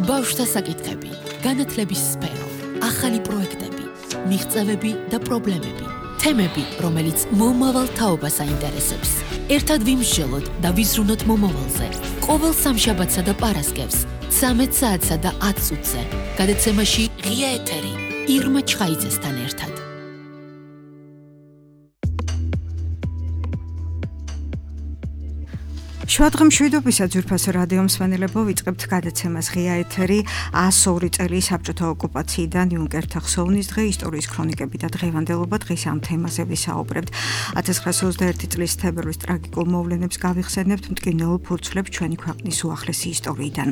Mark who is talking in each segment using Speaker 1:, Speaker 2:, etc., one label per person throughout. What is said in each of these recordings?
Speaker 1: ბავშვთა საკითხები, განათლების სფერო, ახალი პროექტები, მიღწევები და პრობლემები, თემები, რომელიც მომავალ თაობას აინტერესებს. ერთად ვიმსჯელოთ და ვიზრუნოთ მომავალზე. ყოველ სამშაბათსა და პარასკევს, 13 საათსა და 10 წუთზე, გადაცემაში ღია ეთერი, ირმა ჩხაიძესთან ერთად.
Speaker 2: შუადღემ მშვიდობისა ძვირფასო რადიო მსმენელებო, ვიწყებთ გადაცემას ღია ეთერი 102 წელი საბჭოთა ოკუპაციიდან იუნკერთა ხსოვნის დღე, ისტორიის ქრონიკები და დღევანდელობა. დღეს ამ თემაზე ვისაუბრებთ. 1921 წლის თებერვლის ტრაგიკულ მოვლენებს გავიხსენებთ მტკივნეულ ფურცლებს ჩვენი ქვეყნის უახლესი ისტორიიდან.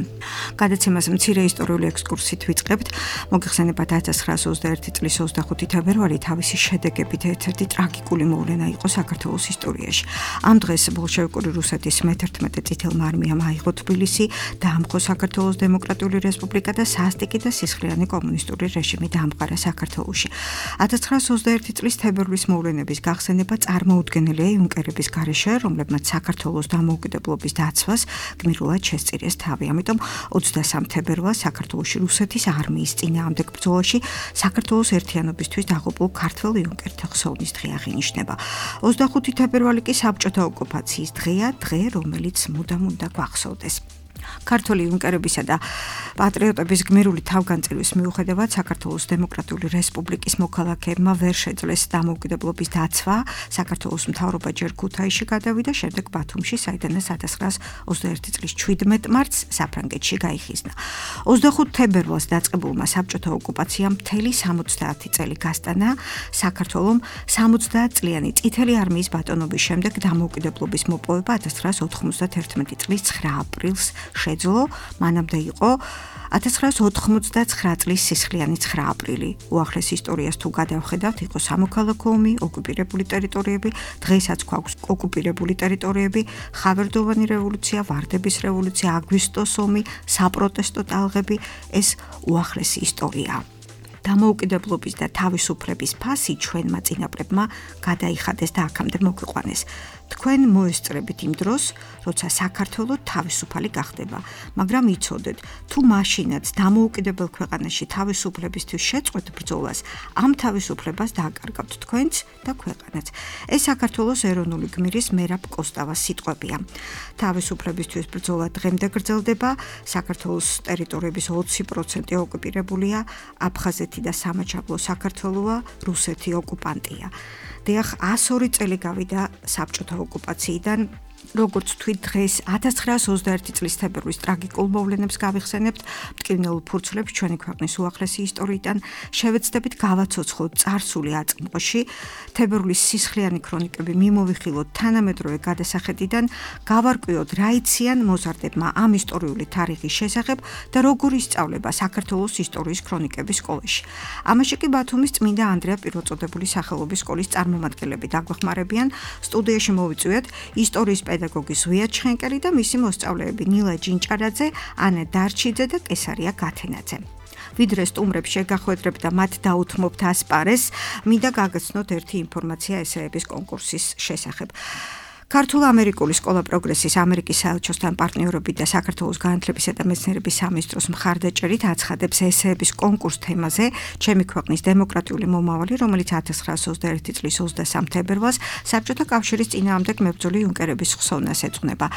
Speaker 2: გადაცემას მცირე ისტორიული ექსკურსით ვიწყებთ. მოგიხსენებათ 1921 წლის 25 თებერვალი თავისი შედეგებით ერთ-ერთი ტრაგიკული მოვლენა იყო საქართველოს ისტორიაში. ამ დღეს ბოლშევიკური რუსეთის 11 წითელმა არმიამ აიღო თბილისი, დაამხო საქართველოს დემოკრატიული რესპუბლიკა და სასტიკი და სისხლიანი კომუნისტური რეჟიმი დაამყარა საქართველოში. 1921 წლის თებერვლის მოვლენების გახსენება წარმოუდგენელია იუნკერების გარეშე, რომლებმაც საქართველოს დამოუკიდებლობის დაცვას გმირულად შესწირეს თავი. ამიტომ 23 თებერვალს საქართველოში რუსეთის არმიის წინააღმდეგ ბრძოლაში საქართველოს ერთიანობისთვის დაღუპულ ქართველ იუნკერთა ხსოვნის დღე აღინიშნება. 25 თებერვალი კი საბჭოთა ოკუპაციის დღეა, დღე რომელიც მუდამ უნდა გვახსოვდეს. ქართველი იუნკერებისა და პატრიოტების გმირული თავგანწირვის მიუხედავად საქართველოს დემოკრატიული რესპუბლიკის მოქალაქეებმა ვერ შეძლეს დამოუკიდებლობის დაცვა. საქართველოს მთავრობა ჯერ ქუთაისში გადავიდა, შემდეგ ბათუმში, საიდანაც 1921 წლის 17 მარტს საფრანგეთში გაიხიზნა. 25 თებერვალს დაწყებულმა საბჭოთა ოკუპაციამ მთელი 70 წელი გასტანა. საქართველომ 70 წლიანი წითელი არმიის ბატონობის შემდეგ დამოუკიდებლობის მოპოვება 1991 წლის 9 აპრილს შეძლო. მანამდე იყო 1989 წლის სისხლიანი 9 აპრილი. უახლეს ისტორიას თუ გადავხედავთ, იყო სამოქალაქო ომი, ოკუპირებული ტერიტორიები, დღესაც გვაქვს ოკუპირებული ტერიტორიები, ხავერდოვანი რევოლუცია, ვარდების რევოლუცია, აგვისტოს ომი, საპროტესტო ტალღები, ეს უახლესი ისტორიაა. დამოუკიდებლობის და თავისუფლების ფასი ჩვენმა წინაპრებმა გადაიხადეს და აქამდე მოგვიყვანეს. თქვენ მოესწრებით იმ დროს, როცა საქართველო თავისუფალი გახდება, მაგრამ იცოდეთ, თუ მაშინაც დამოუკიდებელ ქვეყანაში თავისუფლებისთვის შეწყვეტ ბრძოლას, ამ თავისუფლებას დააკარგავთ თქვენც და ქვეყანაც. ეს საქართველოს ეროვნული გმირის მერაბ კოსტავას სიტყვებია. თავისუფლებისთვის ბრძოლა დღემდე გრძელდება, საქართველოს ტერიტორიების 20% ოკუპირებულია, აფხაზეთი და სამაჩაბლო საქართველოა, რუსეთი ოკუპანტია. დიახ, 102 წელი გავიდა საბჭოთა ოკუპაციიდან. როგორც თქვით, დღეს 1921 წლის თებერვლის ტრაგიკულ მოვლენებს გავიხსენებთ მტკივნეულ ფურცლებს ჩვენი ქვეყნის უახლესი ისტორიიდან. შევეცდებით გავაცოცხლოთ წარსული აწმყოში, თებერვლის სისხლიანი ქრონიკები მიმოვიხილოთ თანამედროვე გადასახედიდან, გავარკვიოთ რა იციან მოზარდებმა ამ ისტორიული თარიღის შესახებ და როგორ ისწავლება საქართველოს ისტორიის ქრონიკების სკოლაში. ამაში კი ბათუმის წმინდა ანდრია პირველწოდებული სახელობის სკოლის წარმომადგენლები დაგვეხმარებიან. სტუდიაში მოვიწვიეთ ისტორიის პედაგოგი ზვია ჩხენკელი და მისი მოსწავლეები ნილა ჯინჭარაძე, ანა დარჩიძე და კესარია გათენაძე. ვიდრე სტუმრებს შეგახვედრებთ და მათ დაუთმობთ ასპარეს, მინდა გაგაცნოთ ერთი ინფორმაცია ესეების კონკურსის შესახებ. ქართულ-ამერიკული სკოლა პროგრესის ამერიკის საელჩოსთან პარტნიორობით და საქართველოს განათლებისა და მეცნიერების სამინისტროს მხარდაჭერით აცხადებს ესეების კონკურს თემაზე ჩემი ქვეყნის დემოკრატიული მომავალი, რომელიც 1921 წლის 23 თებერვალს საბჭოთა კავშირის წინააღმდეგ მებრძოლი იუნკერების ხსოვნას ეძღვნება.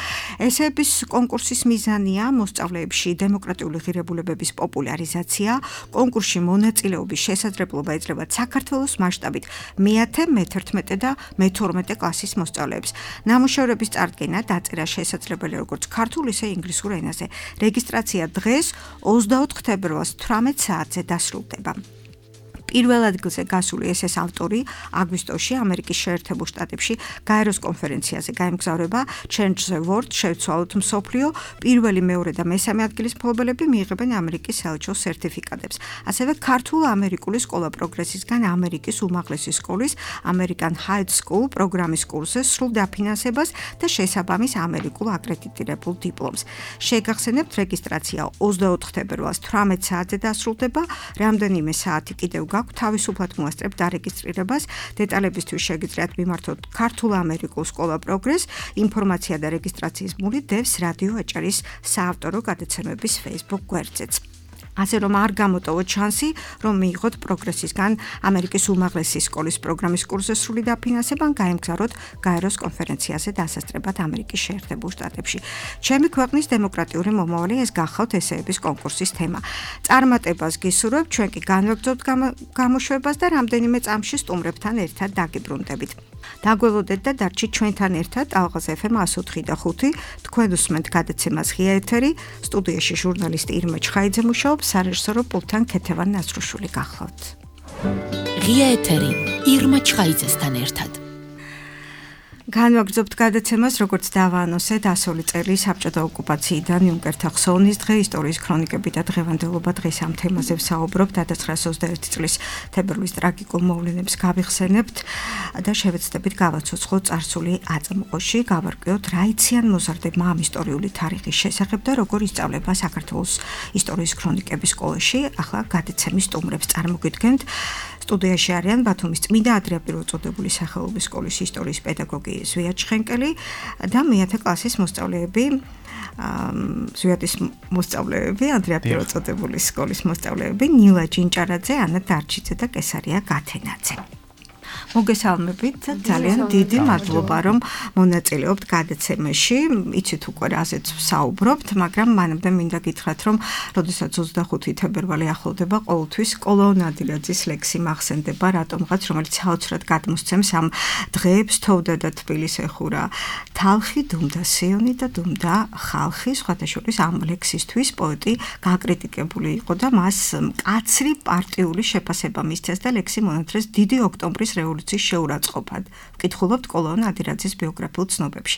Speaker 2: ესეების კონკურსის მიზანია მოსწავლეებში დემოკრატიული ღირებულებების პოპულარიზაცია. კონკურსში მონაწილეობის შესაძლებლობა ეძლევა საქართველოს მასშტაბით მე-10, მე-11 და მე-12 კლასის მოსწავლეებს. ნამუშევრების წარდგენა დაწერა შესაძლებელი როგორც ქართულ, ისე ინგლისურ ენაზე. რეგისტრაცია დღეს 24 თებერვალს 18 საათზე დასრულდება. პირველ ადგილზე გასული ესეს ავტორი აგვისტოში ამერიკის შეერთებულ შტატებში გაეროს კონფერენციაზე გაემგზავრება Change the World, შევცვალოთ მსოფლიო. პირველი, მეორე და მესამე ადგილის მფლობელები მიიღებენ ამერიკის საელჩოს სერტიფიკატებს. ასევე ქართულ-ამერიკული სკოლა პროგრესისგან ამერიკის უმაღლესი სკოლის American High School პროგრამის კურსზე სრულ დაფინანსებას და შესაბამის ამერიკულ აკრედიტირებულ დიპლომს. შეგახსენებთ, რეგისტრაცია 24 თებერვალს 18 საათზე დასრულდება. რამდენიმე საათი კიდევ გაქვთ, თავისუფლად მოასწრებთ დარეგისტრირებას. დეტალებისთვის შეგიძლიათ მიმართოთ ქართულ-ამერიკულ სკოლა პროგრეს, ინფორმაცია და რეგისტრაციის მული დევს რადიო აჭარის საავტორო გადაცემების Facebook გვერდზეც. ასე რომ არ გამოტოვოთ შანსი, რომ მიიღოთ პროგრესისგან ამერიკის უმაღლესი სკოლის პროგრამის კურსზე სრული დაფინანსება, ან გაემგზავროთ გაეროს კონფერენციაზე დასასწრებად ამერიკის შეერთებულ შტატებში. ჩემი ქვეყნის დემოკრატიული მომავალი ეს გახავთ ესეების კონკურსის თემა. წარმატებას გისურვებთ, ჩვენ კი განვაგრძობთ გამოშვებას და რამდენიმე წამში სტუმრებთან ერთად დაგიბრუნდებით. დაგველოდეთ და დარჩით ჩვენთან ერთად ალღაზ FM 104.5. თქვენ უსმენთ გადაცემას ღია ეთერი, სტუდიაში ჟურნალისტი ირმა ჩხაიძე მუშაობს, სარეჟისორო პულტთან ქეთევან ნაცრუშვილი გახლავთ.
Speaker 1: ღია ეთერი ირმა ჩხაიძესთან ერთად.
Speaker 2: განვაგრძობთ გადაცემას, როგორც დავაანონსე, დასული წელი საბჭოთა ოკუპაციიდან იუნკერთა ხსოვნის დღე, ისტორიის ქრონიკები და დღევანდელობა. დღეს ამ თემაზე ვსაუბრობთ. 1921 წლის თებერვლის ტრაგიკულ მოვლენებს გავიხსენებთ და შევეცდებით გავაცოცხლოთ წარსული აწმყოში, გავარკვიოთ რა იციან მოზარდებმა ამ ისტორიული თარიღის შესახებ და როგორ ისწავლება საქართველოს ისტორიის ქრონიკების სკოლაში. ახლა გადაცემის სტუმრებს წარმოგიდგენთ. სტუდიაში არიან ბათუმის წმინდა ანდრია პირველწოდებული სახელობის სკოლის ისტორიის პედაგოგი ზვიად ჩხენკელი და მეათე კლასის მოსწავლეები ზვიადის მოსწავლეები ანდრია პირველწოდებულის სკოლის მოსწავლეები ნილა ჯინჭარაძე, ანა დარჩიძე და კესარია გათენაძე. მოგესალმებით, ძალიან დიდი მადლობა, რომ მონაწილეობთ გადაცემაში. იცით უკვე რაზეც ვსაუბრობთ, მაგრამ მანამდე მინდა გითხრათ, რომ როდესაც 25 თებერვალი ახლოვდება, ყოველთვის კოლონ ადილაძის ლექსი მახსენდება რატომღაც, რომელიც საოცრად გადმოსცემს ამ დღეებს. თოვდა და თბილისს ეხურა თალხი, დუმდა სიონი და დუმდა ხალხი. სხვათა შორის ამ ლექსისთვის პოეტი გაკრიტიკებული იყო და მას მკაცრი პარტიული შეფასება მისცეს და ლექსი მონათრეს დიდი ოქტომბრის რევოლუციის შეურაცხყოფად. ვკითხულობთ კოლონ ადილაძის ბიოგრაფიულ ცნობებში.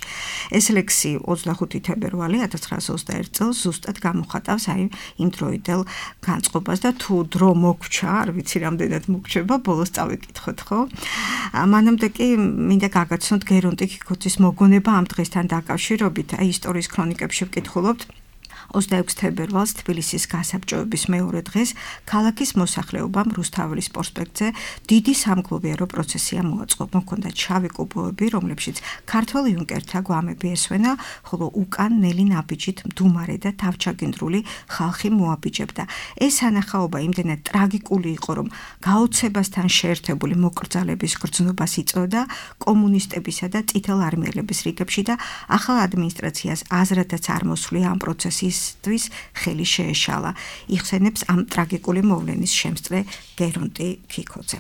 Speaker 2: ეს ლექსი 25 თებერვალი 1921 წელს ზუსტად გამოხატავს აი იმ დროიდელ განწყობას და თუ დრო მოგვრჩა, არ ვიცი რამდენად მოგვრჩება, ბოლოს წავიკითხოთ, ხო? მანამდე კი მინდა გაგაცნოთ გერონტი ქიქოძის მოგონება ამ დღესთან დაკავშირებით. აი ისტორიის ქრონიკებში ვკითხულობთ 26 თებერვალს თბილისის გასაბჭოების მეორე დღეს ქალაქის მოსახლეობამ რუსთაველის პროსპექტზე დიდი სამგლოვიარო პროცესია მოაწყო. მოქონდათ შავი კუბოები, რომლებშიც ქართველ იუნკერთა გვამები ესვენა, ხოლო უკან ნელი ნაბიჯით მდუმარე და თავჩაგინდრული ხალხი მოაბიჯებდა. ეს ანახაობა იმდენად ტრაგიკული იყო, რომ გაოცებასთან შეერთებული მოკრძალების გრძნობას იწვევდა კომუნისტებისა და წითელ არმიელების რიგებში და ახალ ადმინისტრაციას აზრადაც არ მოსვლია ამ პროცესის ხელი შეეშალა. იხსენებს ამ ტრაგიკული მოვლენის შემსწრე გერონტი ქიქოძე.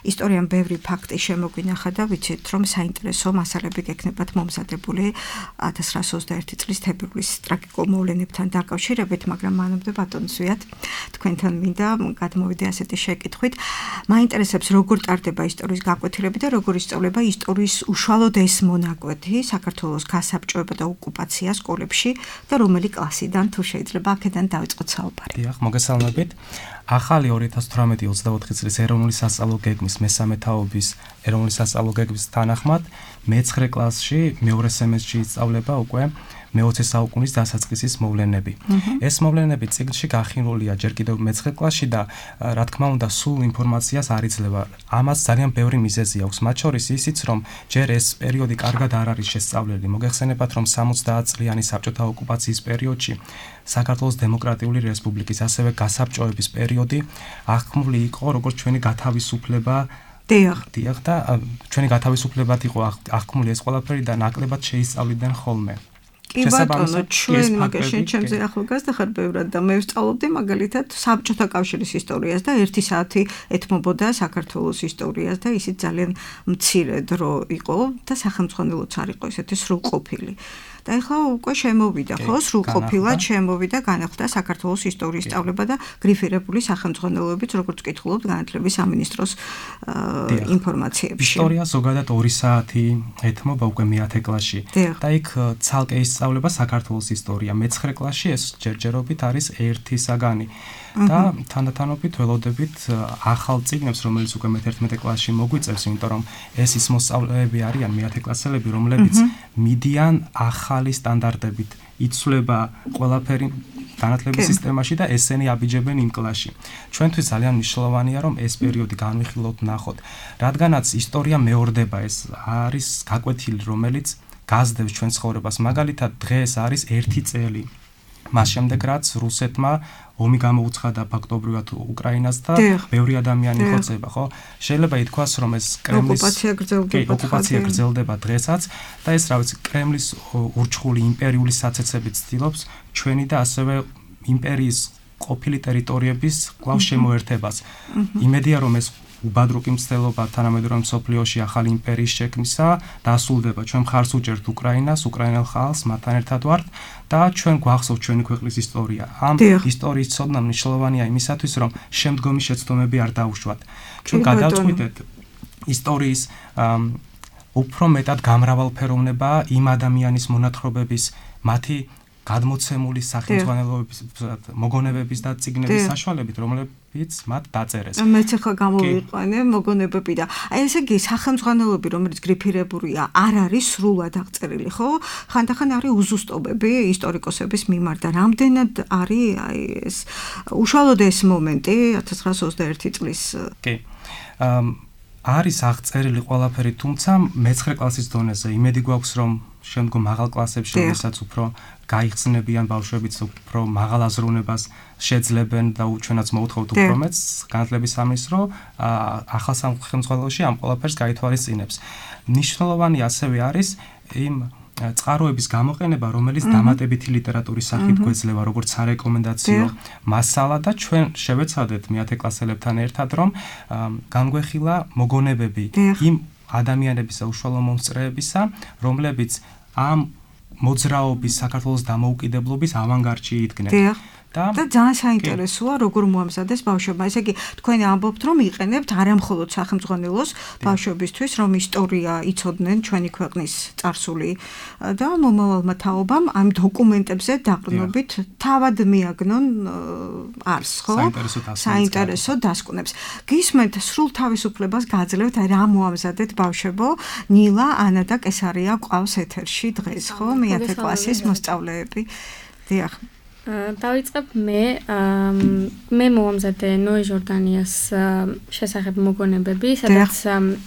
Speaker 2: ისტორიამ ბევრი ფაქტი შემოგვინახა და ვიცით, რომ საინტერესო მასალები გექნებათ მომზადებული 1921 წლის თებერვლის ტრაგიკულ მოვლენებთან დაკავშირებით, მაგრამ მანამდე ბატონო ზვიად, თქვენთან მინდა გადმოვიდე ასეთი შეკითხვით. მაინტერესებს როგორ ტარდება ისტორიის გაკვეთილები და როგორ ისწავლება ისტორიის უშუალოდ ეს მონაკვეთი, საქართველოს გასაბჭოება და ოკუპაცია სკოლებში და რომელი კლასიდან თუ შეიძლება აქედან დავიწყოთ საუბარი.
Speaker 3: დიახ, მოგესალმებით. ახალი 2018-24 წლის ეროვნული სასწავლო გეგმის მესამე თაობის ეროვნული სასწავლო გეგმის თანახმად მე-9 კლასში მეორე სემესტრში ისწავლება უკვე მე-20 საუკუნის დასაწყისის მოვლენები. ეს მოვლენები წიგნში გახინულია ჯერ კიდევ მე-9 კლასში და რა თქმა უნდა სულ ინფორმაციას არ იძლევა. ამას ძალიან ბევრი მიზეზი აქვს, მათ შორის ისიც, რომ ჯერ ეს პერიოდი კარგად არ არის შესწავლილი. მოგეხსენებათ, რომ 70 წლიანი საბჭოთა ოკუპაციის პერიოდში საქართველოს დემოკრატიული რესპუბლიკის ასევე გასაბჭოების პერიოდი აღქმული იყო როგორც ჩვენი გათავისუფლება. დიახ და ჩვენი გათავისუფლებად იყო აღქმული ეს ყველაფერი და ნაკლებად შეისწავლიდნენ ხოლმე.
Speaker 2: კი ბატონო, ჩვენ მაგაში ჩემზე ახალგაზრდა ხარ ბევრად და მე ვსწავლობდი მაგალითად საბჭოთა კავშირის ისტორიას და 1 საათი ეთმობოდა საქართველოს ისტორიას და ისიც ძალიან მცირე დრო იყო და სახელმძღვანელოც არ იყო ესეთი სრულყოფილი. და ეხლა უკვე შემოვიდა, ხო, სრულყოფილად შემოვიდა, განახლდა საქართველოს ისტორიის სწავლება და გრიფირებული სახელმძღვანელოებით, როგორც ვკითხულობთ განათლების სამინისტროს ინფორმაციებში.
Speaker 3: ისტორია ზოგადად 2 საათი ეთმობა უკვე მე-10 კლასში და იქ ცალკე ისწავლება საქართველოს ისტორია. მე-9 კლასში ეს ჯერჯერობით არის 1 საგანი. და თანდათანობით ველოდებით ახალ წიგნებს, რომელიც უკვე მე-11 კლასში მოგვიწევს, იმიტომ რომ ეს ის მოსწავლეები არიან მე-10 კლასელები, რომლებიც მიდიან ახალი სტანდარტებით იცვლება ყველაფერი განათლების სისტემაში და ესენი აბიჯებენ იმ კლასში. ჩვენთვის ძალიან მნიშვნელოვანია რომ ეს პერიოდი განვიხილოთ, ნახოთ, რადგანაც ისტორია მეორდება, ეს არის გაკვეთილი, რომელიც გაზდებს ჩვენ ცხოვრებას. მაგალითად, დღეს არის 1 წელი მას შემდეგ რაც რუსეთმა ომი გამოუცხადა ფაქტობრივად უკრაინას და ბევრი ადამიანი ხოცება, ხო? შეიძლება ითქვას, რომ ეს კრემლის ოკუპაცია გრძელდება დღესაც და ეს, რა ვიცი, კრემლის ურჩხული იმპერიული საცეცებით ცდილობს ჩვენი და ასევე იმპერიის ყოფილი ტერიტორიების კვლავ შემოერთებას. იმედია, რომ ეს უბადრუკი მცდელობა თანამედროვე მსოფლიოში ახალი იმპერიის შექმნისა დასრულდება. ჩვენ მხარს უჭერთ უკრაინას, უკრაინელ ხალხს, მათთან ერთად ვართ და ჩვენ გვახსოვთ ჩვენი ქვეყნის ისტორია. ამ ისტორიის ცოდნა მნიშვნელოვანია იმისათვის, რომ შემდგომი შეცდომები არ დაუშვათ. ჩვენ გადავწყვიტეთ ისტორიის უფრო მეტად გამრავალფეროვნება იმ ადამიანის მონათხრობების, მათი გადმოცემული სახელმძღვანელოების, მოგონებების და წიგნების საშუალებით, რომლებიც მათ დაწერეს.
Speaker 2: მეც ახლა გამოვიყვანე მოგონებები და აი ესე იგი სახელმძღვანელოები, რომელიც გრიფირებულია, არ არის სრულად აღწერილი, ხო? ხანდახან არის უზუსტობები ისტორიკოსების მიმართ და რამდენად არის აი ეს უშუალოდ ეს მომენტი 1921 წლის.
Speaker 3: კი. არის აღწერილი ყველაფერი, თუმცა მე-9 კლასის დონეზე იმედი გვაქვს, რომ შემდგომ მაღალ კლასებში, როდესაც უფრო გაიხსნებიან ბავშვებიც, უფრო მაღალ აზროვნებას შეძლებენ და ჩვენაც მოუთხოვთ უფრო მეტს, განათლების სამინისტრო ახალ სახელმძღვანელოში ამ ყველაფერს გაითვალისწინებს. მნიშვნელოვანი ასევე არის იმ წყაროების გამოყენება, რომელიც დამატებითი ლიტერატურის სახით გვეძლევა, როგორც სარეკომენდაციო მასალა და ჩვენ შევეცადეთ მე-10 კლასელებთან ერთად, რომ განგვეხილა მოგონებები იმ ადამიანებისა, უშუალო მომსწრეებისა, რომლებიც ამ მოძრაობის საქართველოს დამოუკიდებლობის ავანგარდში იდგნენ.
Speaker 2: და ძალიან საინტერესოა, როგორ მოამზადეს ბავშვებმა. ესე იგი, თქვენ ამბობთ, რომ იყენებთ არამხოლოდ სახელმძღვანელოს ბავშვებისთვის, რომ ისტორია იცოდნენ ჩვენი ქვეყნის წარსული და მომავალმა თაობამ ამ დოკუმენტებზე დაყრდნობით თავად მიაგნონ არს, ხო? საინტერესო დასკვნებს. გისმენთ, სრულ თავისუფლებას გაძლევთ, აი რა მოამზადეთ ბავშვებო? ნილა, ანა და კესარია ყავს ეთერში დღეს, ხო? მე-10 კლასის მოსწავლეები. დიახ.
Speaker 4: დავიწყებ მე მომამზადე ნოე ჟორდანიას შესახებ მოგონებები, სადაც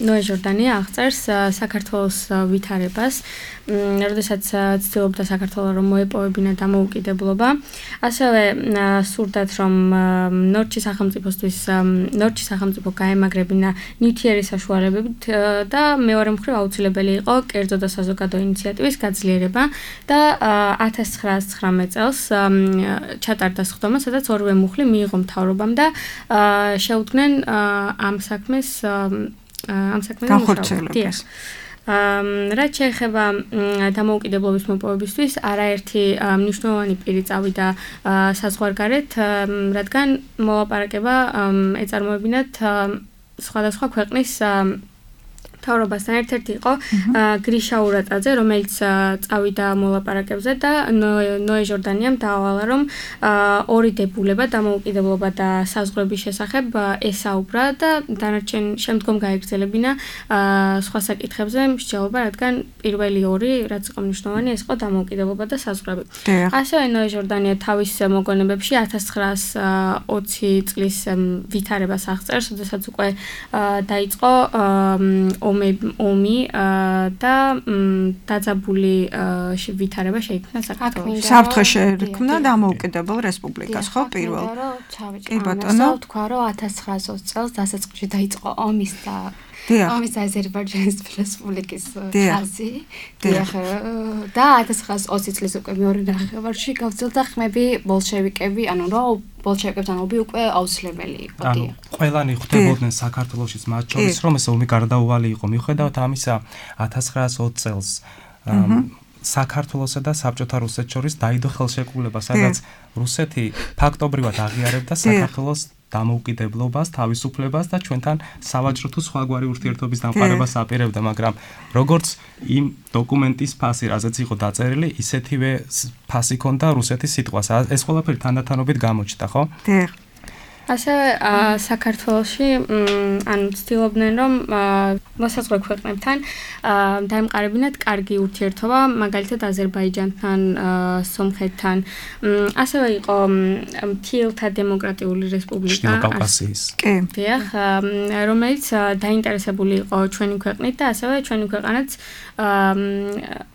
Speaker 4: ნოე ჟორდანია აღწერს საქართველოს ვითარებას, როდესაც ცდილობდა საქართველოს რომ მოეპოვებინა დამოუკიდებლობა. ასევე სურდათ რომ ნორჩი სახელმწიფო გაემაგრებინა ნივთიერი საშუალებებით და მეორე მხრივ აუცილებელი იყო კერძო და საზოგადო ინიციატივის გაძლიერება და 1919 წელს ჩატარდა სხდომა, სადაც ორივე მუხლი მიიღო მთავრობამ და შეუდგნენ ამ საქმეს
Speaker 2: განხორციელებას.
Speaker 4: რაც შეეხება დამოუკიდებლობის მოპოვებისთვის, არაერთი მნიშვნელოვანი პირი წავიდა საზღვარგარეთ, რადგან მოლაპარაკება ეწარმოებინათ სხვადასხვა ქვეყნის მთავრობასთან. ერთ-ერთი იყო გრიშა ურატაძე, რომელიც წავიდა მოლაპარაკებზე და ნოე ჟორდანიამ დაავალა, რომ ორი დებულება, დამოუკიდებლობა და საზღვრების შესახებ ესაუბრა და დანარჩენ შემდგომ გაეგრძელებინა სხვა საკითხებზე მსჯელობა, რადგან პირველი ორი, რაც იყო მნიშვნელოვანი, ეს იყო დამოუკიდებლობა და საზღვრები. ასევე ნოე ჟორდანია თავის მოგონებებში 1920 წლის ვითარებას აღწერს, როდესაც უკვე დაიწყო ომი და დაძაბული ვითარება შეიქმნა საქართველოში.
Speaker 2: საფრთხე შეექმნა დამოუკიდებელ რესპუბლიკას, ხო, პირველ?
Speaker 5: კი ბატონო, თქვა რომ 1920 წელს დასაწყისში დაიწყო ომის და ომის აზერბაიჯანის რესპუბლიკის ხაზი. და 1920 წლის უკვე მეორე ნახევარში გავრცელდა ხმები ბოლშევიკები, ანუ რომ ბოლშევიკებთან ომი უკვე აუცილებელი იყო.
Speaker 3: ყველანი ხვდებოდნენ საქართველოშიც, მათ შორის რომ ეს ომი გარდაუვალი იყო. მიუხედავად ამისა, 1920 წელს საქართველოსა და საბჭოთა რუსეთს შორის დაიდო ხელშეკრულება, სადაც რუსეთი ფაქტობრივად აღიარებდა საქართველოს დამოუკიდებლობას, თავისუფლებას და ჩვენთან სავაჭრო თუ სხვაგვარი ურთიერთობის დამყარებას აპირებდა, მაგრამ როგორც იმ დოკუმენტის ფასი, რაზეც იყო დაწერილი, ისეთივე ფასი ჰქონდა რუსეთის სიტყვას. ეს ყველაფერი თანდათანობით გამოჩნდა, ხო?
Speaker 4: ასევე საქართველოში ანუ ცდილობდნენ რომ მოსაზღვრე ქვეყნებთან დაემყარებინათ კარგი ურთიერთობა, მაგალითად აზერბაიჯანთან, სომხეთთან. ასევე იყო მთიელთა დემოკრატიული რესპუბლიკა
Speaker 3: კი,
Speaker 4: რომელიც დაინტერესებული იყო ჩვენი ქვეყნით და ასევე ჩვენი ქვეყანაც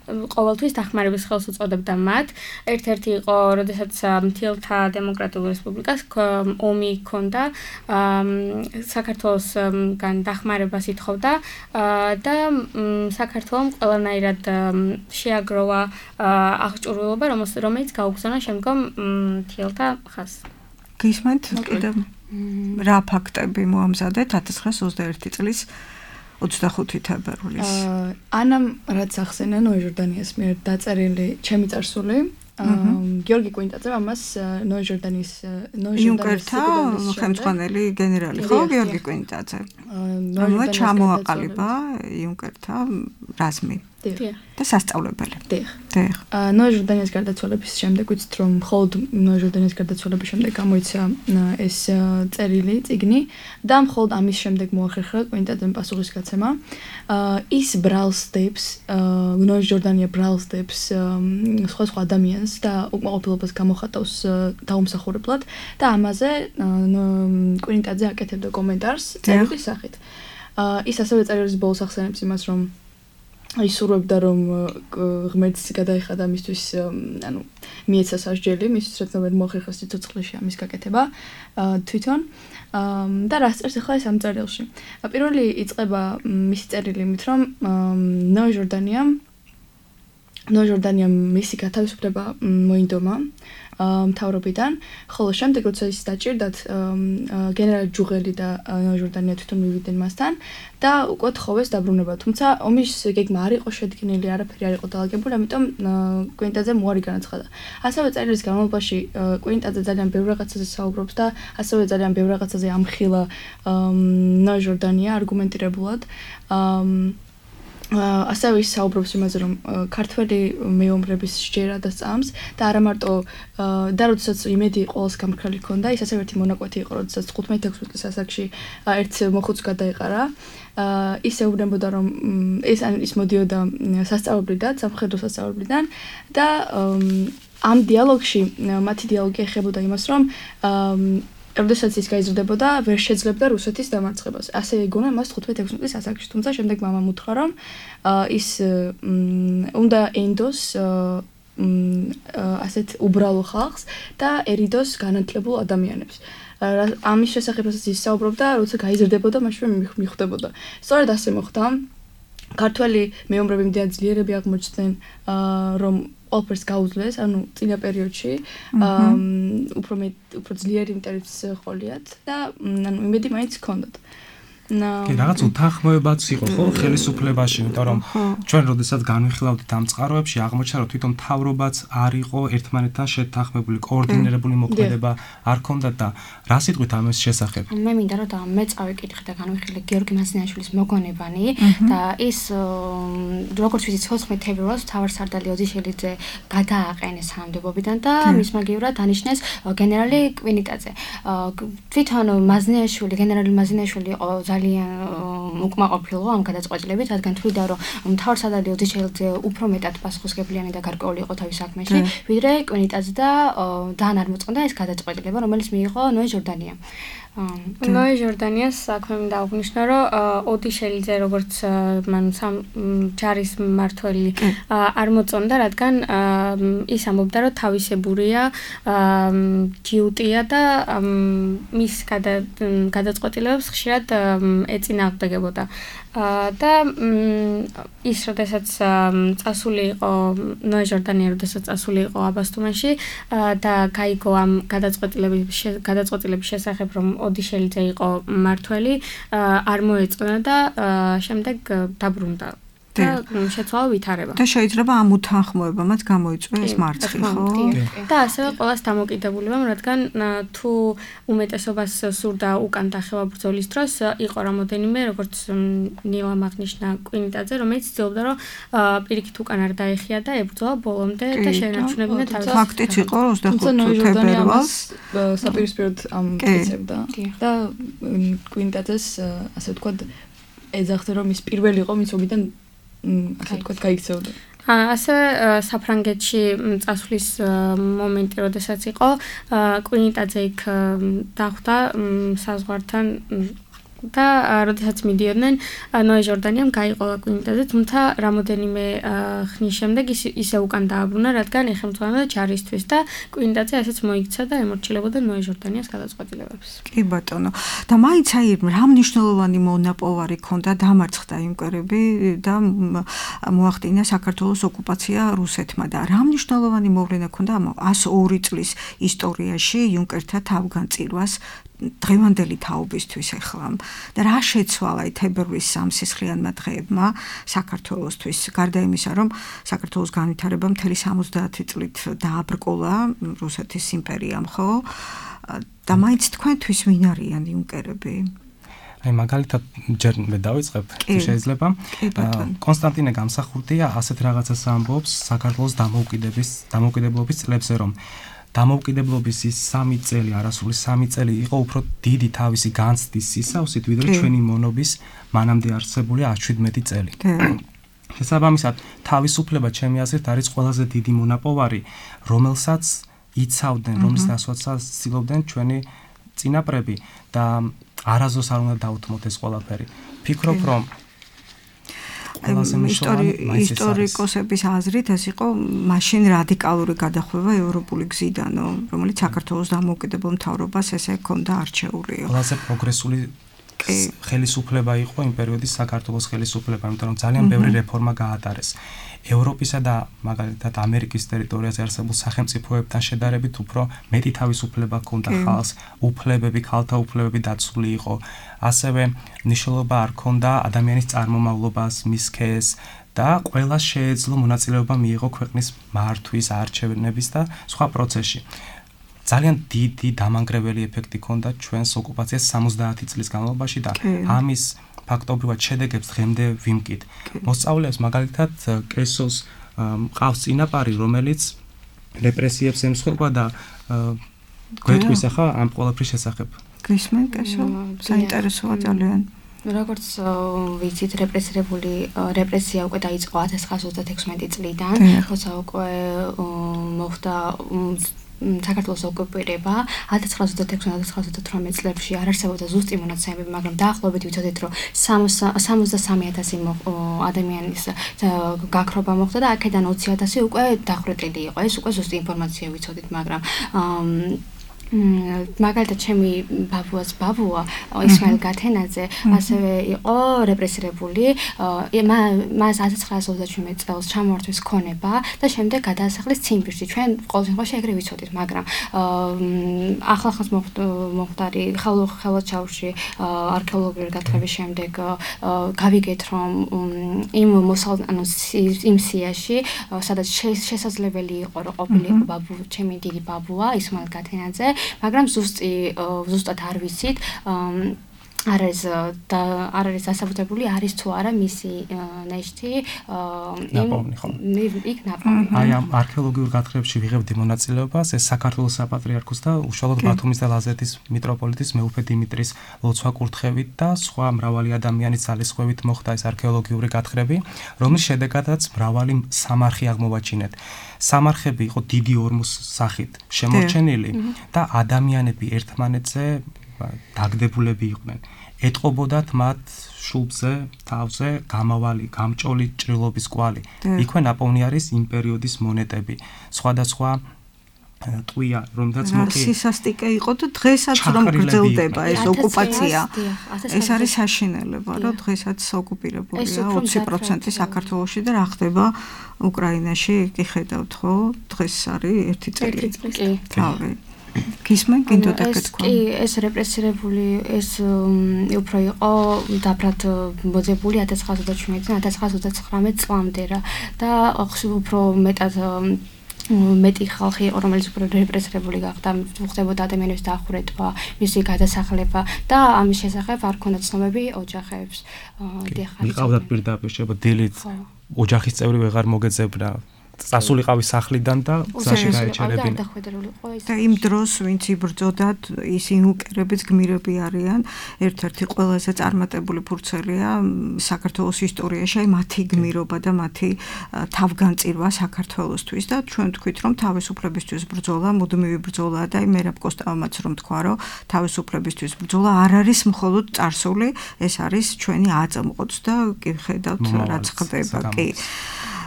Speaker 4: ყოველთვის დახმარების ხელს უწოდებდა მათ. ერთ-ერთი იყო, როდესაც მთიელთა დემოკრატიული რესპუბლიკას ომი ჰქონდა, საქართველოსგან დახმარებას ითხოვდა და საქართველომ ყველანაირად შეაგროვა აღჭურვილობა, რომელიც გაუგზავნა შემდგომ მთიელთა ხაზს.
Speaker 2: გისმენთ კიდევ რა ფაქტები მოამზადეთ 1921 წლის 25 თებერვლის.
Speaker 6: ანამ რაც ახსენა ნოე ჟორდანიას მიერ დაწერილი ჩემი წარსული, გიორგი კვინტაძე ამას ნოე ჟორდანიის
Speaker 2: იუნკერთა ხელმძღვანელი გენერალი ხო გიორგი კვინტაძე. ნოე ჩამოაყალიბა იუნკერთა რაზმი. და სასწავლებელი.
Speaker 6: დიახ. ნოე ჟორდანიას გარდაცვალების შემდეგ ვიცით რომ მხოლოდ ნოე ჟორდანიას გარდაცვალების შემდეგ გამოიცა ეს წერილი, წიგნი და მხოლოდ ამის შემდეგ მოახერხა კვინტაძემ პასუხისგაცემა. ის ბრალს დებს, ნოე ჟორდანია ბრალს დებს სხვა ადამიანს და უკმაყოფილებას გამოხატავს დაუმსახურებლად და ამაზე კვინტაძე აკეთებდა კომენტარს წერილი სახით. ის ასევე წერილის ბოლოს ახსენებს იმას რომ ისურვებდა რომ ღმერთს გადაეხადა მისთვის ანუ მიეცა სასჯელი მისთვის რაც ნომერ მოახერხა სიცოცხლეში ამის გაკეთება თვითონ და რას წერს ახლა ეს ამ წერილში პირველი იწყება მისი წერილი იმით რომ ნოე ჟორდანიამ მისი გათავისუფლება მოინდომა მთავრობიდან, ხოლო შემდეგ როცა ის დაჭირდათ გენერალი ჯუღელი და ნოე ჟორდანია თვითონ მივიდნენ მასთან და უკვე თხოვეს დაბრუნება, თუმცა ომის გეგმა არ იყო შედგენილი, არაფერი არ იყო დალაგებული, ამიტომ კვინტაძემ უარი განაცხადა. ასევე წერილის განმავლობაში კვინტაძე ძალიან ბევრ რაღაცაზე საუბრობს და ასევე ძალიან ბევრ რაღაცაზე ამხილა ნოე ჟორდანია არგუმენტირებულად. ასევე ის საუბრობს იმაზე რომ ქართველი მეომრების სჯერა და წამს და არა მარტო და როდესაც იმედი ყოველს გამქრალი ჰქონდა ის ასევე ერთი მონაკვეთი იყო როდესაც 15-16 წლის ასაკში ერთ მოხუცს გადაეყარა ის ეუბნებოდა რომ ის მოდიოდა სასწავლებლიდან სამხედრო სასწავლებლიდან და ამ დიალოგში მათი დიალოგი ეხებოდა იმას რომ როდესაც ის გაიზრდებოდა, ვერ შეძლებდა რუსეთის დამარცხებას. ასე ეგონა მას 15-16 წლის ასაკში, თუმცა შემდეგ მამამ უთხრა, რომ ის უნდა ენდოს ასეთ უბრალო ხალხს და ერიდოს განათლებულ ადამიანებს. ამის შესახებ რასაც ის საუბრობდა, როცა გაიზრდებოდა, მაშინ მიხვდებოდა. სწორედ ასე მოხდა. ქართველი მეომრები მდიან ძლიერები აღმოჩნდნენ, რომ ყველაფერს გაუძლეს, ანუ წინა პერიოდში უფრო ძლიერი ინტერესს ჰყოლიათ და ანუ იმედი მაინც ჰქონდათ.
Speaker 3: კი, რაღაც უთანხმოებაც იყო ხო ხელისუფლებაში, იმიტომ რომ ჩვენ როდესაც განვიხილავდით ამ წყაროებში, აღმოჩნდა რომ თვითონ მთავრობაც არ იყო ერთმანეთთან შეთანხმებული, კოორდინირებული მოქმედება არ ჰქონდა და რა სიტყვით ამის შესახებ?
Speaker 5: მე მინდა რომ მე წავიკითხე და განვიხილე გიორგი მასინაშვილის მოგონებანი და ის როგორც ვიცით 14 თებერვალს მთავარსარდალი ოდიშელიძე გადააყენეს თანამდებობიდან და მის მაგივრად დანიშნეს გენერალი კვინტაძე. თვითონ მაზნიაშვილი, გენერალი მაზნიაშვილი იყო ძალიან უკმაყოფილო ამ გადაწყვეტილებით, რადგან თვლიდა, რომ მთავარსარდალი ოდიშელიძე უფრო მეტად პასუხისმგებლიანი და გარკვეული იყო თავის საქმეში, ვიდრე კვინტაძე და ძალიან არ მოწყდა ეს გადაწყვეტილება, რომელიც მიიღო ნოე ჟორდანიამ.
Speaker 4: ნოე ჟორდანიას საქმე მინდა აღნიშნო, რომ ოდიშელიძე როგორც მან ჯარის მმართველი არ მოწონდა, რადგან ის ამბობდა, რომ თავისებურია, ჯიუტია და მის გადაწყვეტილებებს ხშირად ეწინააღმდეგებოდა. და ის როდესაც წასული იყო ნოე ჟორდანია როდესაც წასული იყო აბასთუმანში და გაიგო ამ გადაწყვეტილების შესახებ რომ ოდიშელიძე იყო მმართველი არ მოეწონა და შემდეგ დაბრუნდა და შეცვალა ვითარება.
Speaker 2: და შეიძლება ამ უთანხმოებამაც გამოიწვია ეს მარცხი, ხო?
Speaker 4: და ასევე ყოველს დამოკიდებულებამ, რადგან თუ უმეტესობას სურდა უკან დახევა ბრძოლის დროს, იყო რამოდენიმე, როგორც ნილამ აღნიშნა კვინიტაძე, რომელიც ცდილობდა, რომ პირიქით უკან არ დაეხია და ებრძოლა ბოლომდე და შეენარჩუნებინა თავის.
Speaker 2: ფაქტიც იყო 25 თებერვალს
Speaker 6: საპირისპიროდ ამტკიცებდა და კვინიტაძეს ასე ვთქვათ ეძახდა რომ ის პირველი იყო მის ოგიდან ასე ვთქვათ გაიქცეოდა.
Speaker 4: ასევე საფრანგეთში წასვლის მომენტი, როდესაც იყო კვინიტაძე იქ დახვდა საზღვართან და როდესაც მიდიოდნენ ნოე ჟორდანიამ გაიყოლა კვინიტაძე, თუმცა რამოდენიმე ხნის შემდეგ ისე უკან დააბრუნა, რადგან ეხელმძღვანელობდა ჯარისთვის და კვინიტაძე ასეც მოიქცა და ემორჩილებოდა ნოე ჟორდანიას გადაწყვეტილებებს.
Speaker 2: კი ბატონო. და მაინც აი რა მნიშვნელოვანი მონაპოვარი ქონდა დამარცხდა იმკვერები და მოახდინა საქართველოს ოკუპაცია რუსეთმა და რა მნიშვნელოვანი მოვლენა ქონდა ამ 102 წლის ისტორიაში იუნკერთა თავგანწირვას დღევანდელი თაობისთვის ახლა და რა შეცვალა თებერვლის სამსისხლიანმა დღეებმა საქართველოსთვის გარდა იმისა რომ საქართველოს განვითარება მთელი 70 წლით დააბრკოლა რუსეთის იმპერიამ ხო და მაინც თქვენთვის ვინ არიან იუნკერები
Speaker 3: აი მაგალითად ჯერ მე დავიწყებ თუ შეიძლება კონსტანტინე გამსახურდია ასეთ რაღაცას ამბობს საქართველოს დამოუკიდებლობის წლებზე რომ დამოუკიდებლობის ის 3 წელი, არასრული 3 წელი იყო უფრო დიდი თავისი განცდის სისავსით, ვიდრე ჩვენი მონობის მანამდე არსებული 17 წელი. შესაბამისად, თავისუფლება ჩემი აზრით არის ყველაზე დიდი მონაპოვარი, რომელსაც იცავდნენ, რომლის დასვაცას ცდილობდნენ ჩვენი წინაპრები და არასდროს არ უნდა დაუთმოთ ეს ყველაფერი. ფიქრობ, რომ
Speaker 2: ისტორიკოსების აზრით ეს იყო მაშინ რადიკალური გადახვევა ევროპული გზიდანო, რომელიც საქართველოს დამოუკიდებელ მთავრობას ესე ჰქონდა არჩეული.
Speaker 3: ყველაზე პროგრესული ხელისუფლება იყო იმ პერიოდის საქართველოს ხელისუფლება, იმიტომ რომ ძალიან ბევრი რეფორმა გაატარეს. ევროპისა და მაგალითად ამერიკის ტერიტორიაზე არსებულ სახელმწიფოებთან შედარებით უფრო მეტი თავისუფლება ჰქონდა ხალხს, უფლებები, ქალთა უფლებები დაცული იყო. ასევე მნიშვნელობა არ ჰქონდა ადამიანის წარმომავლობას, მის სქესს და ყველას შეეძლო მონაწილეობა მიიღო ქვეყნის მართვის, არჩევნების და სხვა პროცესში. ძალიან დიდი დამანგრეველი ეფექტი ჰქონდა ჩვენს ოკუპაციას 70 წლის განმავლობაში და ამის ფაქტობრივად შედეგებს დღემდე ვიმკით. მოსწავლეებს მაგალითად კესოს მყავს წინაპარი, რომელიც რეპრესიებს ემსხვერპლა და გვეტყვის ახლა ამ ყველაფრის შესახებ.
Speaker 2: გისმენ კესო? საინტერესოა ძალიან.
Speaker 5: როგორც ვიცით, რეპრესია უკვე დაიწყო 1936 წლიდან, როცა უკვე მოხდა საქართველოს ოკუპირება 1926-1928 წლებში არ არსებობდა ზუსტი მონაცემები, მაგრამ დაახლოებით ვიცოდით, რომ 63,000 ადამიანის გაქრობა მოხდა და აქედან 20,000 უკვე დახვრეტილი იყო. ეს უკვე ზუსტი ინფორმაცია ვიცოდით, მაგრამ მაგალითად ჩემი ბაბუა ისმაილ გათენაძე ასევე იყო რეპრესირებული, მას 1927 წელს ჩამოართვეს ქონება და შემდეგ გადაასახლეს ციმბირში. ჩვენ ყოველ შემთხვევაში ეგრე ვიცოდით, მაგრამ ახლახანს მოხდარი ხელვაჩაურში არქეოლოგიური გათხრების შემდეგ გავიგეთ, რომ იმ სიაში, სადაც შესაძლებელი იყო, რომ ყოფილიყო ჩემი დიდი ბაბუა ისმაილ გათენაძე, მაგრამ ზუსტად არ ვიცით არ არის დასაბუთებული არის თუ არა მისი ნეშტი იქ ნაპოვნი.
Speaker 3: აი ამ არქეოლოგიურ გათხრებში ვიღებდი მონაწილეობას ეს საქართველოს საპატრიარქოს და უშუალოდ ბათუმის და ლაზეთის მიტროპოლიტის მეუფე დიმიტრის ლოცვა-კურთხევით და სხვა მრავალი ადამიანის ძალისხმევით მოხდა ეს არქეოლოგიური გათხრები, რომლის შედეგადაც მრავალი სამარხი აღმოვაჩინეთ. სამარხები იყო დიდი ორმოს სახით შემორჩენილი და ადამიანები ერთმანეთზე დაგდებულები იყვნენ. ეტყობოდათ მათ შუბზე, თავზე გამავალი, გამჭოლი ჭრილობის კვალი. იქვე ნაპოვნი არის იმ პერიოდის მონეტები. სხვადასხვა ტყვია, რომელთაც
Speaker 2: სისასტიკე იყო და დღესაც რომ გრძელდება ეს ოკუპაცია. ეს არის საშინელება, რომ დღესაც ოკუპირებულია 20% საქართველოში და რა ხდება უკრაინაში, კი ხედავთ ხო? დღეს არის 1 წელი. გისმენ გინდოდა გეთქვა?
Speaker 5: კი, ეს რეპრესირებული ეს უფრო იყო დაფრად მოძებული 1917-1929 წლამდე რა და უფრო მეტად მეტი ხალხი იყო, რომელიც უფრო რეპრესირებული გახდა, ხდებოდა ადამიანების დახურეტვა, მისი გადასახლება და ამის შესახებ არ ქონდა ცნობები ოჯახებს.
Speaker 3: მიყავდა პირდაპირ შეიძლება დილით ოჯახის წევრი ვეღარ მოგეძებნა. წასულიყავი სახლიდან და გზაში გაეჩერებინა.
Speaker 2: და იმ დროს ვინც იბრძოდათ, ისინი უკერების გმირები არიან. ერთ-ერთი ყველაზე წარმატებული ფურცელია საქართველოს ისტორიაში, მათი გმირობა და მათი თავგანწირვა საქართველოსთვის და ჩვენ ვთქვით, რომ თავისუფლებისთვის ბრძოლა მუდმივი ბრძოლაა და მერაბ კოსტავმაც რომ თქვა, რომ თავისუფლებისთვის ბრძოლა არ არის მხოლოდ წარსული, ეს არის ჩვენი აწმყოც და კი ხედავთ რაც ხდება, კი.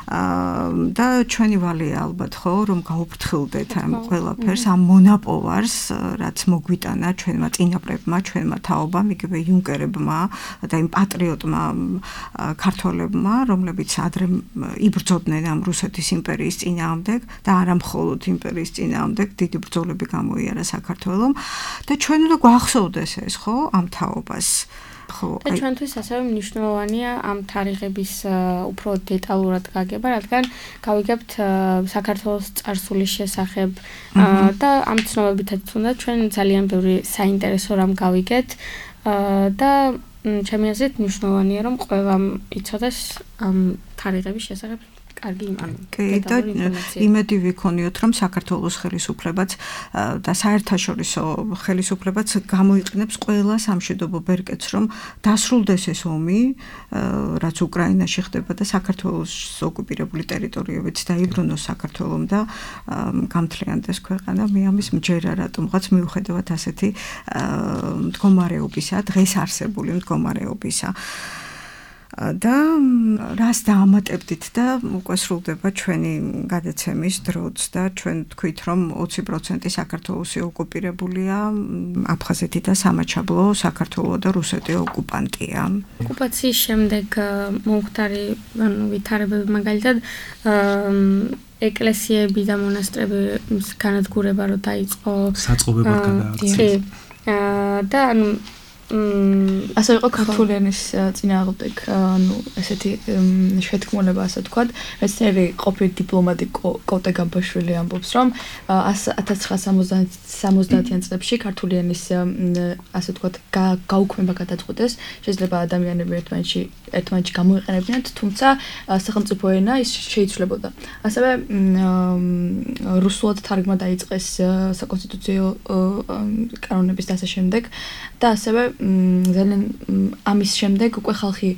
Speaker 2: და ჩვენი ვალია ალბათ ხო რომ გაუფრთხილდეთ ამ ყველაფერს ამ მონაპოვარს რაც მოგვიტანა ჩვენმა წინაპრებმა ჩვენმა თაობამ იგივე იუნკერებმა და იმ პატრიოტმა ქართველებმა რომლებიც ადრე იბრძოდნენ ამ რუსეთის იმპერიის წინააღმდეგ და არა მხოლოდ იმპერიის წინააღმდეგ დიდი ბრძოლები გამოიარა საქართველომ და ჩვენ უნდა გვახსოვდეს ეს ხო ამ თაობას
Speaker 4: და ჩვენთვის ასევე მნიშვნელოვანია ამ თარიღების უფრო დეტალურად გაგება, რადგან გავიგებთ საქართველოს წარსულის შესახებ და ამ ცნობებითაც თუნდაც ჩვენ ძალიან ბევრი საინტერესო რამ გავიგეთ და ჩემი აზრით მნიშვნელოვანია რომ ყველამ იცოდეს ამ თარიღების შესახებ კარგი
Speaker 2: და იმედი ვიქონიოთ რომ საქართველოს ხელისუფლებაც და საერთაშორისო ხელისუფლებაც გამოიყენებს ყველა სამშვიდობო ბერკეტს რომ დასრულდეს ეს ომი რაც უკრაინაში ხდება და საქართველოს ოკუპირებული ტერიტორიებიც დაიბრუნოს საქართველომ და გამთლიანდეს ქვეყანა მე ამის მჯერა რატომღაც მიუხედავად ასეთი მდგომარეობისა დღეს არსებული მდგომარეობისა და რას დაამატებდით და უკვე სრულდება ჩვენი გადაცემის დროც და ჩვენ თქვით რომ 20% საქართველოსი ოკუპირებულია აფხაზეთი და სამაჩაბლო საქართველო და რუსეთი ოკუპანტია.
Speaker 4: ოკუპაციის შემდეგ მომხდარი ვითარებები მაგალითად ეკლესიები და მონასტრების განადგურება რო დაიწყო
Speaker 3: საწყობებად გადააქცია.
Speaker 4: და
Speaker 6: ასე იყო ქართული ენის წინააღმდეგ, ანუ ესეთი შეთქმულება ასე ვთქვათ, მეცნიერი ყოფილი დიპლომატი კოტე გამბაშვილი ამბობს, რომ 1970-იან წლებში ქართული ენის ასე ვთქვათ გაუქმება გადაწყვეტეს, შეიძლება ადამიანები ერთმანეთში გამოიყენებინათ, თუმცა სახელმწიფო ენა ის შეიცვლებოდა. ასევე რუსულად თარგმნა დაიწყეს საკონსტიტუციო კანონების და ასე შემდეგ და ასევე ძალიან ამის შემდეგ უკვე ხალხი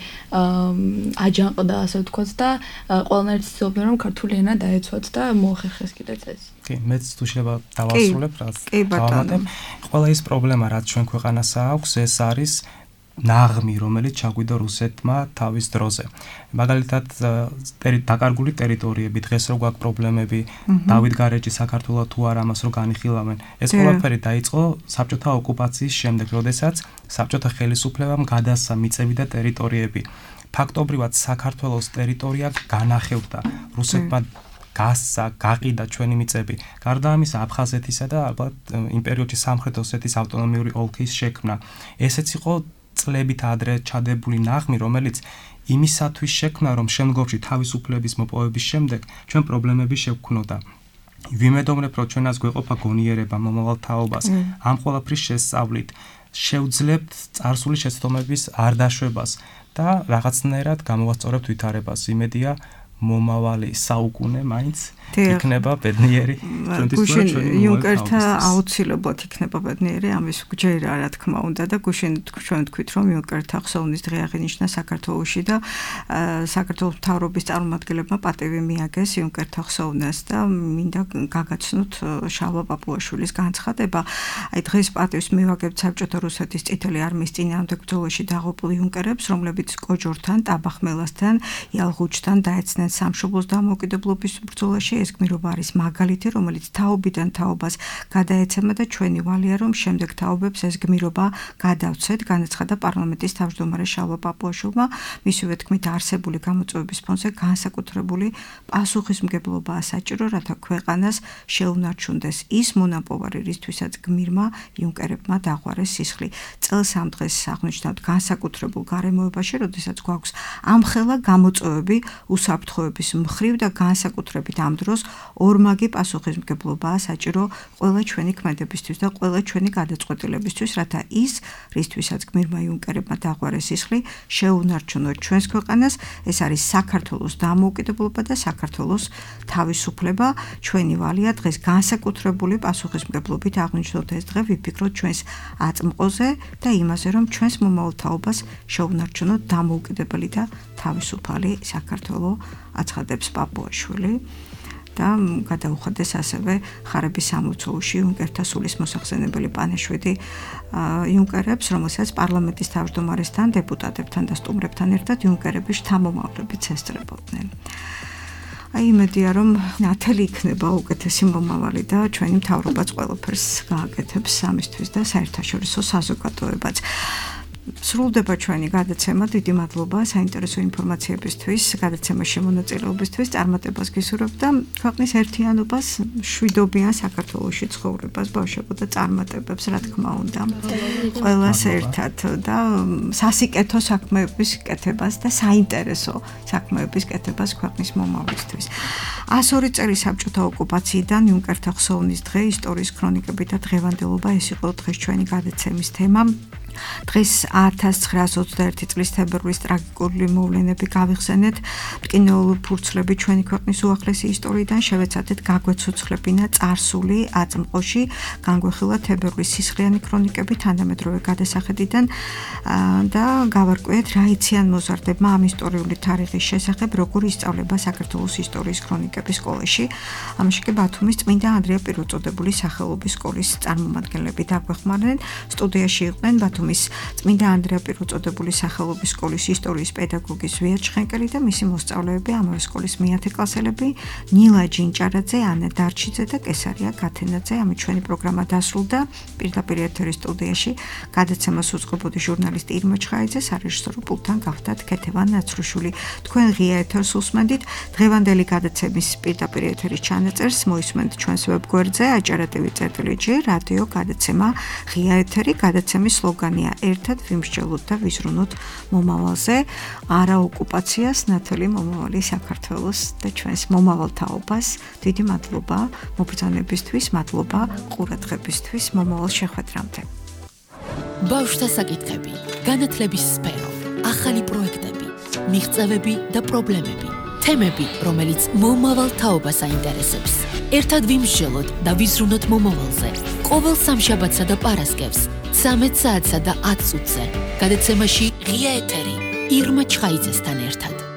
Speaker 6: აჯანყდა ასე ვთქვათ და ყველანაირად ცდილობდნენ რომ ქართული ენა დაეცვათ და მოახერხეს კიდეც ეს.
Speaker 3: კი, მეც თუ შეიძლება დავასრულებ რაც დავამატებ. ყველა ის პრობლემა რაც ჩვენ ქვეყანასა აქვს, ეს არის ნაღმი, რომელიც ჩაგვიდა რუსეთმა თავის დროზე. მაგალითად, დაკარგული ტერიტორიები, დღეს რო გვაქვს პრობლემები, დავითგარეჯი საქართველოს თუ არა ამას რო განიხილავენ. ეს ყველაფერი დაიწყო საბჭოთა ოკუპაციის შემდეგ, როდესაც საბჭოთა ხელისუფლებამ გადასცა მიწები და ტერიტორიები. ფაქტობრივად საქართველოს ტერიტორია განახევდა რუსეთმა გასცა, გაყიდა ჩვენი მიწები. გარდა ამისა, აფხაზეთისა და ალბათ იმ პერიოდში სამხრეთ ოსეთის ავტონომიური ოლქის შექმნა. ესეც იყო წლებით ადრე ჩადებული ნაღმი, რომელიც იმისათვის შექმნა, რომ შემდგომში თავისუფლების მოპოვების შემდეგ ჩვენ პრობლემები შევქმნოდა. ვიმედოვნებ, რომ ჩვენას გვეყოფა გონიერება მომავალ თაობას, ამ ყველაფრის შესწავლით შევძლებთ წარსული შეცდომების არ დაშვებას და რაღაცნაირად გამოვასწორებთ ვითარებას. იმედია მომავალი საუკუნე მაინც იქნება ბედნიერი
Speaker 2: გუშინ იუნკერთა აუცილებლად იქნება ბედნიერი ამის გჯერა რა თქმა უნდა და გუშინ ჩვენ თქვით რომ იუნკერთა ხსოვნის დღე აღინიშნა საქართველოში და საქართველოს მთავრობის წარმომადგენლებმა პატივი მიაგეს იუნკერთა ხსოვნას და მინდა გაგაცნოთ შალვა პაპუაშვილის განცხადება აი დღეს პატივს მივაგებთ საბჭოთა რუსეთის წითელი არმიის წინააღმდეგ ბრძოლაში დაღუპულ იუნკერებს რომლებიც კოჯორთან, ტაბახმელასთან, იალღუჩთან დაეცნენ სამშობლოს დამოუკიდებლობის ბრძოლაში ეს გმირობა არის მაგალითი, რომელიც თაობიდან თაობას გადაეცემა და ჩვენი ვალია, რომ შემდეგ თაობებს ეს გმირობა გადავცეთ, განაცხადა პარლამენტის თავმჯდომარე შალვა პაპუაშვილმა. მისივე თქმით, არსებული გამოწვევების ფონზე განსაკუთრებული პასუხისმგებლობაა საჭირო, რათა ქვეყანას შეუნარჩუნდეს ის მონაპოვარი, რისთვისაც გმირმა იუნკერებმა დაღვარეს სისხლი. წელს ამ დღეს აღნიშნავთ განსაკუთრებულ გარემოებაში, როდესაც გვაქვს ამხელა გამოწვევები უსაფრთხოების მხრივ და განსაკუთრებით ამ დროს ორმაგი პასუხისმგებლობაა საჭირო ყველა ჩვენი ქმედებისთვის და ყველა ჩვენი გადაწყვეტილებისთვის, რათა ის, რისთვისაც გმირმა იუნკერებმა დაღვარეს სისხლი, შეუნარჩუნოთ ჩვენს ქვეყანას. ეს არის საქართველოს დამოუკიდებლობა და საქართველოს თავისუფლება. ჩვენი ვალია დღეს განსაკუთრებული პასუხისმგებლობით აღნიშნოთ ეს დღე, ვიფიქროთ ჩვენს აწმყოზე და იმაზე, რომ ჩვენს მომავალ თაობას შეუნარჩუნოთ დამოუკიდებელი და თავისუფალი საქართველო, აცხადებს პაპუაშვილი. და გადაუხადეს ასევე ხარების სამლოცველოში იუნკერთა სულის მოსახსენებელი პანაშვიდი იუნკერებს, რომელსაც პარლამენტის თავმჯდომარესთან, დეპუტატებთან და სტუმრებთან ერთად იუნკერების შთამომავლებიც ესწრებოდნენ. იმედია, რომ ნათელი იქნება უკეთესი მომავალი და ჩვენი მთავრობაც ყველაფერს გააკეთებს ამისთვის და საერთაშორისო საზოგადოებაც. სრულდება ჩვენი გადაცემა, დიდი მადლობა საინტერესო ინფორმაციებისთვის, გადაცემაში მონაწილეობისთვის, წარმატებას გისურვებ და ქვეყნის ერთიანობას, მშვიდობიან საქართველოში ცხოვრებას, ბავშვებო და წარმატებებს, რა თქმა უნდა. ყველას ერთად და სასიკეთო საქმეების კეთებას და საინტერესო საქმეების კეთებას ქვეყნის მომავლისთვის. 102 წელი საბჭოთა ოკუპაციიდან იუნკერთა ხსოვნის დღე, ისტორიის ქრონიკები და დღევანდელობა, ეს იყო დღეს ჩვენი გადაცემის თემა. დღეს 1921 წლის თებერვლის ტრაგიკული მოვლენები გავიხსენეთ, მტკინეული ფურცლები ჩვენი ქვეყნის უახლესი ისტორიიდან შევეცადეთ გაგვეცოცხლებინა წარსული აწმყოში, განგვეხილა თებერვლის სისხლიანი ქრონიკები თანამედროვე გადასახედიდან და გავარკვიეთ რა იციან მოზარდებმა ამ ისტორიული თარიღის შესახებ, როგორ ისწავლება საქართველოს ისტორიის ქრონიკების სკოლაში. ამაში კი ბათუმის წმინდა ანდრია პირველწოდებული სახელობის სკოლის წარმომადგენლები დაგვეხმარნენ. სტუდიაში იყვნენ ბათუმის წმინდა ანდრია პირველწოდებული სახელობის სკოლის ისტორიის პედაგოგი ზვია ჩხენკელი და მისი მოსწავლეები, ამავე სკოლის მე-10 კლასელები, ნილა ჯინჭარაძე, ანა დარჩიძე და კესარია გათენაძე. ამით ჩვენი პროგრამა დასრულდა. პირდაპირ ეთერის სტუდიაში გადაცემას უწყობოდი ჟურნალისტი ირმა ჩხაიძე, სარეჟისორო პულტთან გავხდათ ქეთევან ნაცრუშვილი. თქვენ ღია ეთერს უსმენდით. დღევანდელი გადაცემის პირდაპირ ეთერის ჩანაწერს მოისმენთ ჩვენს ვებგვერდზე ajartv.gi რადიო გადაცემა ღია ეთერი. გადაცემის სლოგანია ერთად ვიმსჯელოთ და ვიზრუნოთ მომავალზე, არა ოკუპაციას, ნათელი მომავალი საქართველოს და ჩვენს მომავალ თაობას. დიდი მადლობა მობრძანებისთვის, მადლობა ყურადღებისთვის, მომავალ შეხვედრამდე.
Speaker 1: ბავშვთა საკითხები, განათლების სფერო, ახალი პროექტები, მიღწევები და პრობლემები, თემები, რომელიც მომავალ თაობას აინტერესებს. ერთად ვიმსჯელოთ და ვიზრუნოთ მომავალზე. ყოველ სამშაბათსა და პარასკევს 13 საათსა და 10 წუთზე. გადაცემაში ღია ეთერი ირმა ჩხაიძესთან ერთად.